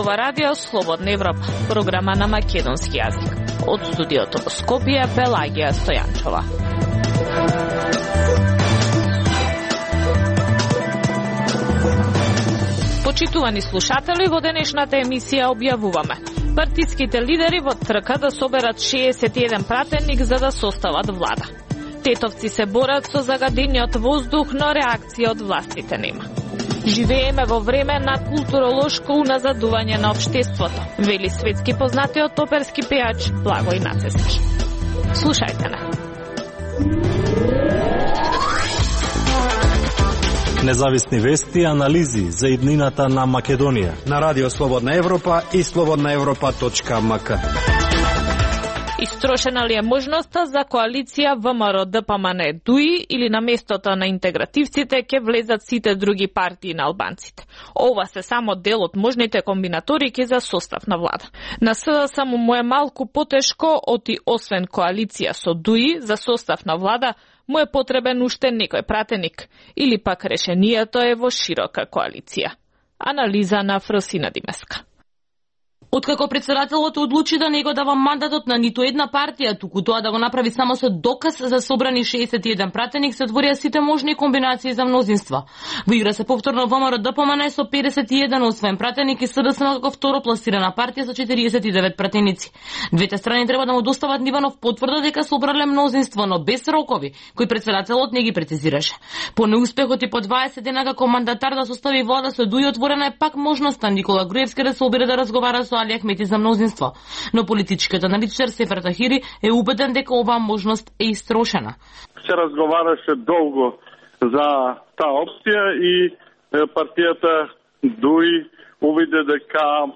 ова радио Слободна Европа, програма на македонски јазик. Од студиото во Скопје, Пелагија Стојанчова. Почитувани слушатели, во денешната емисија објавуваме: партиските лидери во трка да соберат 61 пратеник за да состават влада. Тетовци се борат со загадениот воздух, но реакција од властите нема. Живееме во време на културолошко уназадување на општеството, вели светски познатиот оперски пејач Благој Нацески. Слушајте на. Независни вести и анализи за иднината на Македонија на Радио Слободна Европа и slobodnaevropa.mk. Истрошена ли е можноста за коалиција ВМРО-ДПМН-ДУИ или на местото на интегративците ќе влезат сите други партии на албанците? Ова се само дел од можните комбинаторики за состав на влада. На СДС му е малку потешко, оти освен коалиција со ДУИ за состав на влада, му е потребен уште некој пратеник, или пак решението е во широка коалиција. Анализа на Фросина Димеска. Откако председателот одлучи да не го дава мандатот на ниту една партија, туку тоа да го направи само со доказ за собрани 61 пратеник, се отворија сите можни комбинации за мнозинства. Во игра се повторно ВМРО-ДПМН со 51 освен пратеник и СДСМ како второпласирана партија со 49 пратеници. Двете страни треба да му достават Ниванов потврда дека собрале мнозинство, но без рокови, кои председателот не ги прецизираше. По неуспехот и по 20 дена како мандатар да состави влада со ДУИ, отворена е пак можноста Никола Груевски да се обиде да разговара со Али Ахмети за мнозинство, но политичкиот аналитичар Сефер Тахири е убеден дека оваа можност е истрошена. Се разговараше долго за таа опција и партијата ДУИ увиде дека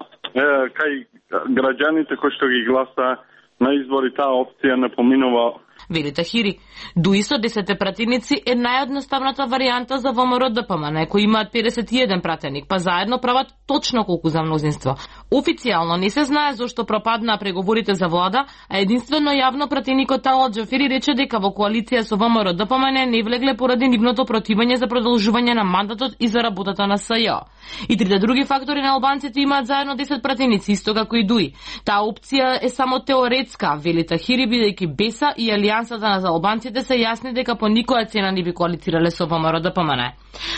кај граѓаните кои што ги гласа на избори таа опција не поминува. Вели Тахири, ДУИ со 10 пратеници е наједноставната варијанта за ВМРО-ДПМН, кои имаат 51 пратеник, па заедно прават точно колку за мнозинство. Официјално не се знае зошто пропаднаа преговорите за влада, а единствено јавно пратеникот Талат Џафери рече дека во коалиција со ВМРО-ДПМН не влегле поради нивното противење за продолжување на мандатот и за работата на СЈО. И трите други фактори на албанците имаат заедно 10 пратеници, исто како и ДУИ. Таа опција е само теоретска, вели Тахири, бидејќи БЕСА и Алијансата на албанците се јасни дека по никоја цена не би коалицирале со ВМРО-ДПМН.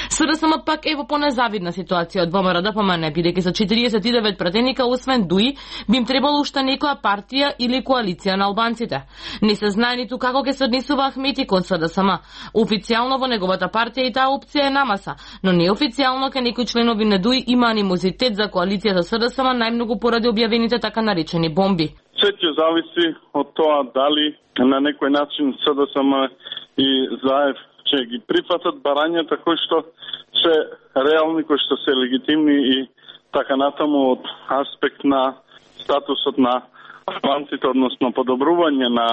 СДСМ пак е во понезавидна ситуација од ВМРО-ДПМН, бидејќи со 49 пратеника освен ДУИ би им требало уште некоја партија или коалиција на албанците. Не се знае ниту како ќе се однесува Ахмети кон СДСМ. Официјално во неговата партија и таа опција е намаса, но неофицијално ке некои членови на ДУИ има анимозитет за коалиција со СДСМ, најмногу поради објавените така наречени бомби. Се ќе зависи од тоа дали на некој начин СДСМ и ЗАЕВ ќе ги прифатат барањата кои што се реални, кои што се легитимни и така натаму од аспект на статусот на албанците, односно подобрување на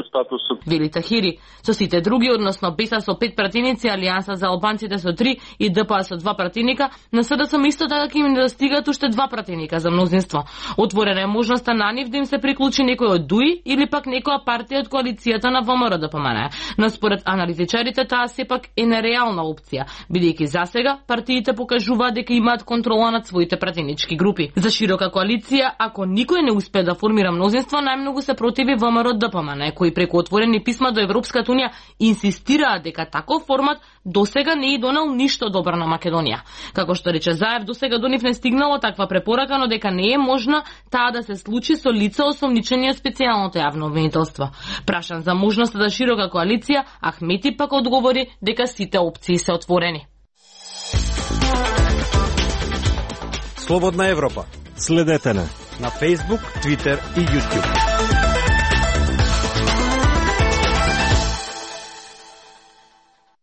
статусот. Вели Тахири, со сите други, односно БЕСА со 5 пратеници, Алијанса за албанците со 3 и ДПА со 2 пратеника, на СДСМ исто така ќе им недостигат уште 2 пратеника за мнозинство. Отворена е можноста на нив да им се приклучи некој од ДУИ или пак некоја партија од коалицијата на ВМРО-ДПМН. Но според аналитичарите таа сепак е нереална опција, бидејќи засега партиите покажуваат дека имаат контрола над своите пратенички групи. За широка коалиција, ако никој не успее да формира мнозинство, најмногу се противи ВМРО-ДПМН, кои преку отворени писма до Европската унија инсистираат дека таков формат досега не е донел ништо добро на Македонија. Како што рече ЗАЕВ, досега до нив не стигнало таква препорака, но дека не е можна таа да се случи со лица осомничени од специјалното јавно обвинителство. Прашан за можноста за широка коалиција, Ахмети пак одговори дека сите опции се отворени. Слободна Европа. Следете на Facebook, Twitter и YouTube.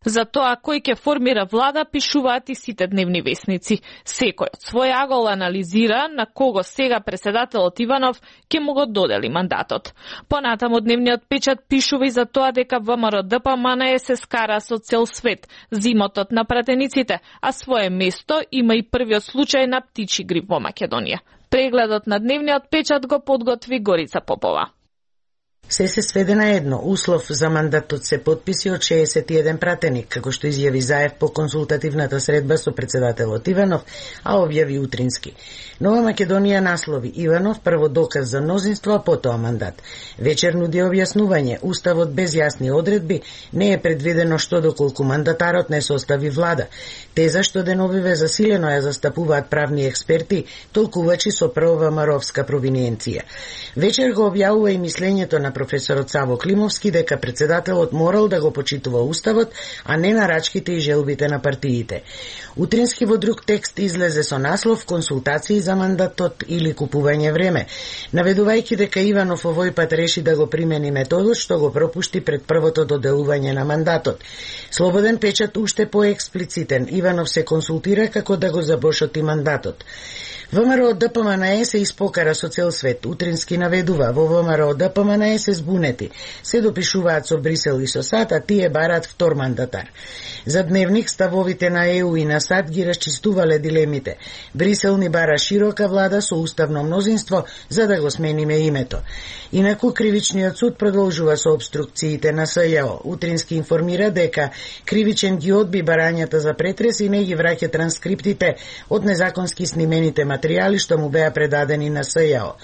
За тоа кој ќе формира влада пишуваат и сите дневни весници. Секој од свој агол анализира на кого сега преседателот Иванов ќе му го додели мандатот. Понатаму дневниот печат пишува и за тоа дека ВМРО-ДПМН се скара со цел свет, зимотот на пратениците, а свое место има и првиот случај на птичи грип во Македонија. Прегледот на дневниот печат го подготви Горица Попова. Се сведе на едно. Услов за мандатот се потписи од 61 пратеник, како што изјави Заев по консултативната средба со председателот Иванов, а објави утрински. Нова Македонија наслови Иванов прво доказ за мнозинство, а потоа мандат. Вечер нуди објаснување. Уставот без јасни одредби не е предвидено што доколку мандатарот не состави влада. Теза што деновиве засилено ја застапуваат правни експерти, толкувачи со провамаровска провиненција. Вечер го објавува и мислењето на професорот Саво Климовски дека председателот морал да го почитува уставот, а не нарачките и желбите на партиите. Утрински во друг текст излезе со наслов консултации за мандатот или купување време, наведувајќи дека Иванов овој пат реши да го примени методот што го пропушти пред првото доделување на мандатот. Слободен печат уште поексплицитен. Иванов се консултира како да го забошоти мандатот. ВМРО ДПМНЕ се испокара со цел свет. Утрински наведува, во ВМРО ДПМНЕ се збунети. Се допишуваат со Брисел и со САД, а тие бараат втор мандатар. За Дневник ставовите на ЕУ и на САД ги расчистувале дилемите. Брисел ни бара широка влада со уставно мнозинство за да го смениме името. Инаку кривичниот суд продолжува со обструкциите на СЈО. Утрински информира дека кривичен ги одби барањата за претрес и не ги враќа транскриптите од незаконски снимените материјали што му беа предадени на СЈО.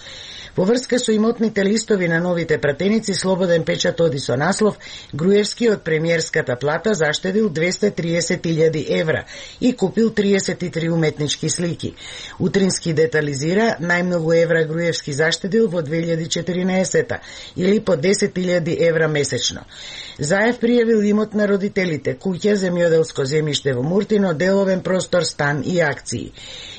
Во врска со имотните листови на новите пратеници, Слободен печат оди со наслов Груевски од премиерската плата заштедил 230.000 евра и купил 33 уметнички слики. Утрински детализира најмногу евра Груевски заштедил во 2014 или по 10.000 евра месечно. Заев пријавил имот на родителите, куќа, земјоделско земјиште во Муртино, деловен простор, стан и акции.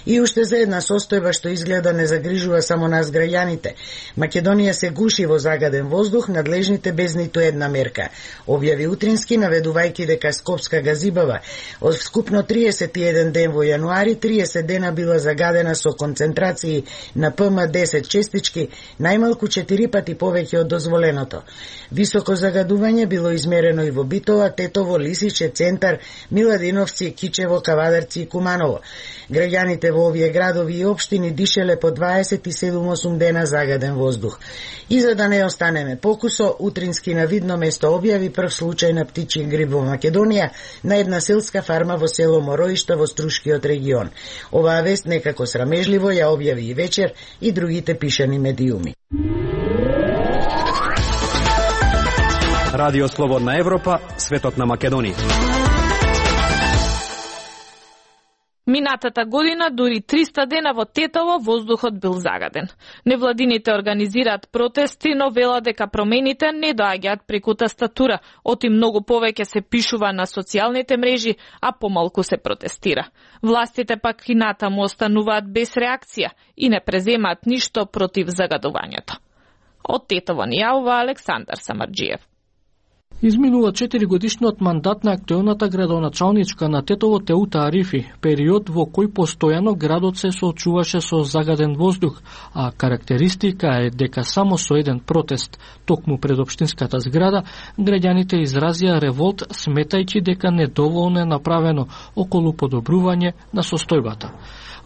И уште за една состојба што изгледа не загрижува само нас граѓаните. Македонија се гуши во загаден воздух, надлежните без ниту една мерка. Објави Утрински, наведувајќи дека Скопска газибава од вскупно 31 ден во јануари, 30 дена била загадена со концентрации на ПМ10 честички, најмалку 4 пати повеќе од дозволеното. Високо загадување било измерено и во Битола, Тетово, Лисиче, Центар, Миладиновци, Кичево, Кавадарци и Куманово. Граѓаните во овие градови и општини дишеле по 27-8 дена загаден воздух. И за да не останеме покусо, Утрински на видно место објави прв случај на птичји грип во Македонија на една селска фарма во село Мороишта во Струшкиот регион. Оваа вест некако срамежливо ја објави и Вечер и другите пишани медиуми. Радио Слободна Европа, светот на Македонија. Минатата година, дури 300 дена во Тетово, воздухот бил загаден. Невладините организираат протести, но велат дека промените не доаѓаат преку тастатура, оти многу повеќе се пишува на социјалните мрежи, а помалку се протестира. Властите пак и натаму остануваат без реакција и не преземаат ништо против загадувањето. Од Тетово ни јавува Александар Самарџиев. Изминува 4 годишниот мандат на актуелната градоначалничка на Тетово Теута Арифи, период во кој постојано градот се соочуваше со загаден воздух, а карактеристика е дека само со еден протест, токму пред општинската зграда, граѓаните изразија револт сметајќи дека недоволно е направено околу подобрување на состојбата.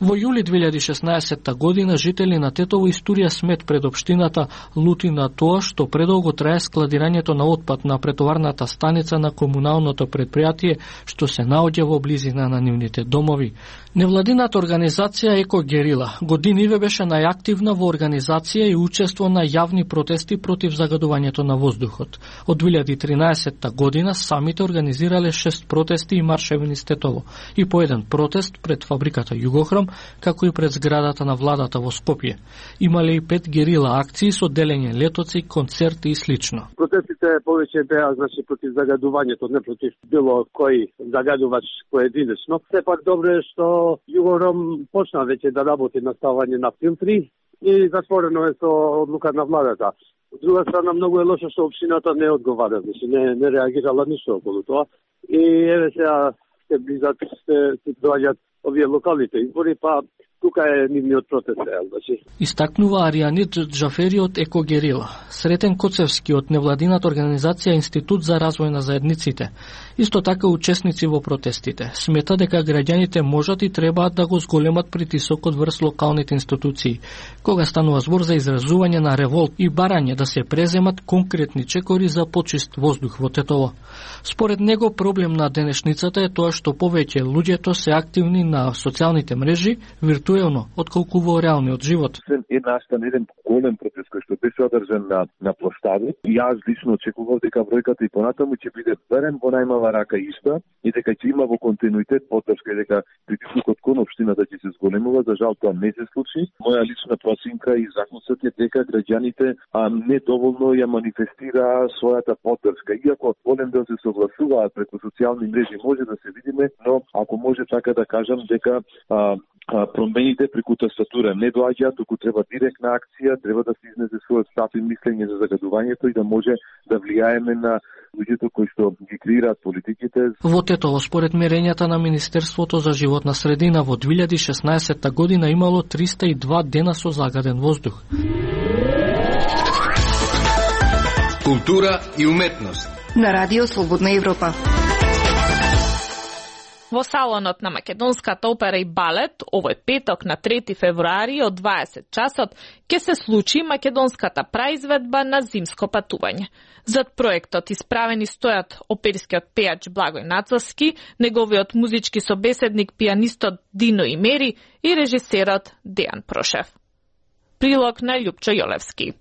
Во јули 2016 година жители на Тетово истурија смет пред општината, лути на тоа што предолго трае складирањето на отпад на претоварната станица на комуналното предпријатие што се наоѓа во близина на нивните домови. Невладината организација Еко Герила годиниве беше најактивна во организација и учество на јавни протести против загадувањето на воздухот. Од 2013 година самите организирале 6 протести и маршеви низ Тетово и по еден протест пред фабриката Југохром, како и пред зградата на владата во Скопје. Имале и 5 герила акции со делење летоци, концерти и слично. Протестите повеќе беа против загадувањето, не против било кој загадувач поединечно. Сепак добро е што Југохром почна веќе да работи на ставање на филтри и затворено е со одлука на владата. Од друга страна, многу е лошо што општината не одговара, не реагирала ништо околу тоа. И еве сега се близат, се доаѓаат овие локалните избори, па тука е нивниот протест, значи. Истакнува Аријанит Џафери од Екогерила. Сретен Коцевски од невладината организација Институт за развој на заедниците. Исто така учесници во протестите. Смета дека граѓаните можат и требаат да го зголемат притисокот врз локалните институции, кога станува збор за изразување на револт и барање да се преземат конкретни чекори за почист воздух во Тетово. Според него проблем на денешницата е тоа што повеќе луѓето се активни на социјалните мрежи виртуелно, отколку во реалниот живот. Е настан еден голем протест кој што беше одржан на площадот. Јас лично очекував дека бројката и понатаму ќе биде барем во најмала рака иста и дека ќе има во континуитет поддршка и дека притисокот кон општината ќе се зголемува. За жал тоа не се случи. Моја лична проценка и заклучок е дека граѓаните недоволно ја манифестираа својата поддршка. Иако голем дел се согласуваат преку социјални мрежи, може да се видиме, но ако може така да кажам дека промените преку тастатура не доаѓаат, туку треба директна акција, треба да се изнесе својот став и мислење за загадувањето и да може да влијаеме на луѓето кои што ги креираат политиките. Во Тетово, според мерењата на Министерството за животна средина, во 2016 година имало 302 дена со загаден воздух. Култура и уметност на Радио Слободна Европа. Во салонот на Македонската опера и балет, овој петок на 3 февруари од 20 часот, ќе се случи македонската праизведба на зимско патување. Зад проектот исправени стојат оперскиот пејач Благој Нацовски, неговиот музички собеседник пијанистот Дино Имери и режисерот Дејан Прошев. Прилог на Љупчо Јолевски.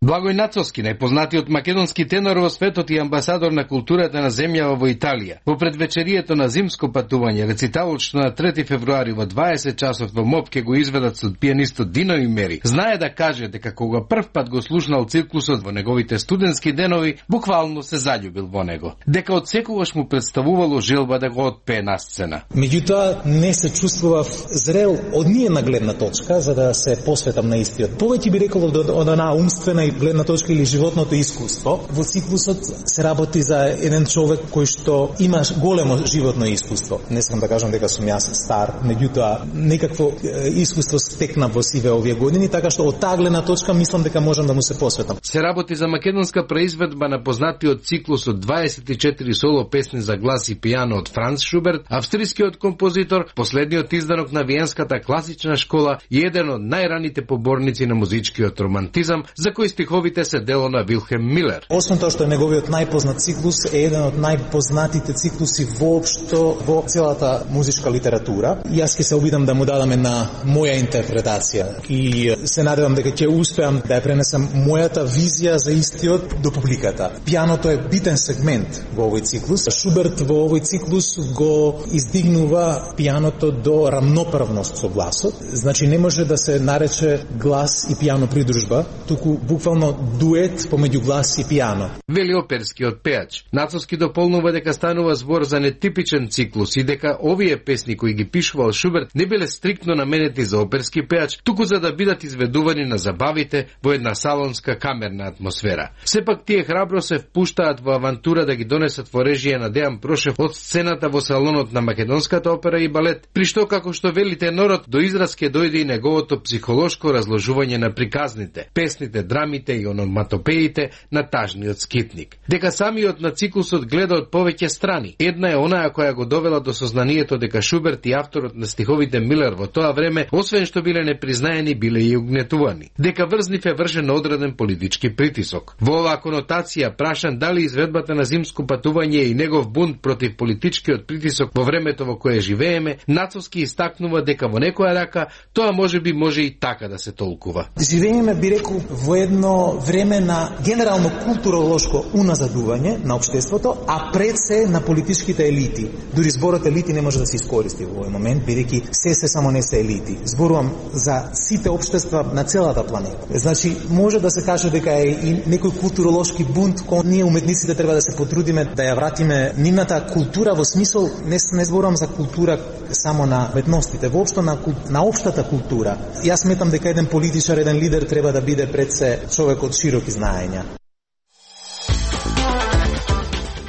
Благој Нацовски, најпознатиот македонски тенор во светот и амбасадор на културата на земјава во Италија. Во предвечерието на зимско патување, рециталот што на 3 февруари во 20 часот во МОП ќе го изведат со пијанистот Дино Имери, знае да каже дека кога прв пат го слушнал циклусот во неговите студентски денови, буквално се заљубил во него. Дека од секогаш му представувало желба да го отпее на сцена. Меѓутоа, не се чувствував зрел од ниједна гледна точка за да се посветам на истиот. Повеќе би рекол од една умствена и гледна точка или животното искуство. Во циклусот се работи за еден човек кој што има големо животно искуство. Не сакам да кажам дека сум јас стар, меѓутоа некакво искуство стекна во сиве овие години, така што од таа гледна точка мислам дека можам да му се посветам. Се работи за македонска преизведба на познатиот циклус од 24 соло песни за глас и пијано од Франц Шуберт, австрискиот композитор, последниот изданок на Виенската класична школа и еден од најраните поборници на музичкиот романтизам, за кој стиховите се дело на Вилхем Милер. Освен тоа што е неговиот најпознат циклус, е еден од најпознатите циклуси воопшто во целата музичка литература. Јас ќе се обидам да му дадам една моја интерпретација и се надевам дека ќе успеам да ја пренесам мојата визија за истиот до публиката. Пијаното е битен сегмент во овој циклус. Шуберт во овој циклус го издигнува пијаното до рамноправност со гласот. Значи не може да се нарече глас и пијано придружба, туку буквално дует помеѓу глас и пијано. Вели оперскиот пејач. Нацовски дополнува дека станува збор за нетипичен циклус и дека овие песни кои ги пишувал Шуберт не биле стриктно наменети за оперски пејач, туку за да бидат изведувани на забавите во една салонска камерна атмосфера. Сепак тие храбро се впуштаат во авантура да ги донесат во режија на Дејан Прошев од сцената во салонот на Македонската опера и балет, при што како што вели тенорот до израз ќе дојде и неговото психолошко разложување на приказните, песните, драмите и ономатопеите на тажниот скитник. Дека самиот на циклусот гледа од повеќе страни. Една е онаа која го довела до сознанието дека Шуберт и авторот на стиховите Милер во тоа време, освен што биле непризнаени, биле и угнетувани. Дека врз нив е вршен одреден политички притисок. Во оваа конотација прашан дали изведбата на зимско патување и негов бунт против политичкиот притисок во времето во кое живееме, Нацовски истакнува дека во некоја рака тоа можеби може и така да се толкува. Живееме, би рекол, во едно време на генерално културолошко уназадување на општеството, а пред се на политичките елити. Дури зборот елити не може да се искористи во овој момент, бидејќи се само не се елити. Зборувам за сите општества на целата планета. Значи, може да се каже дека е и некој културолошки бунт кој ние уметниците треба да се потрудиме да ја вратиме нивната култура во смисол, не зборувам за култура само на уметностите, воопшто на општата култура. Јас сметам дека еден политичар, еден лидер треба да биде пред се човек од широки знаења.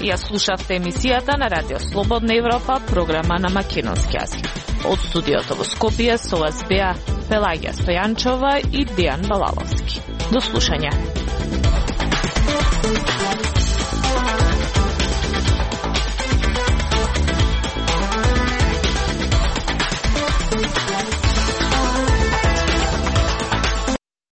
Ја слушавте емисијата на Радио Слободна Европа, програма на македонски јазик. Од студиото во Скопје со вас беа Пелагија Стојанчова и Дејан Балаловски. До слушање.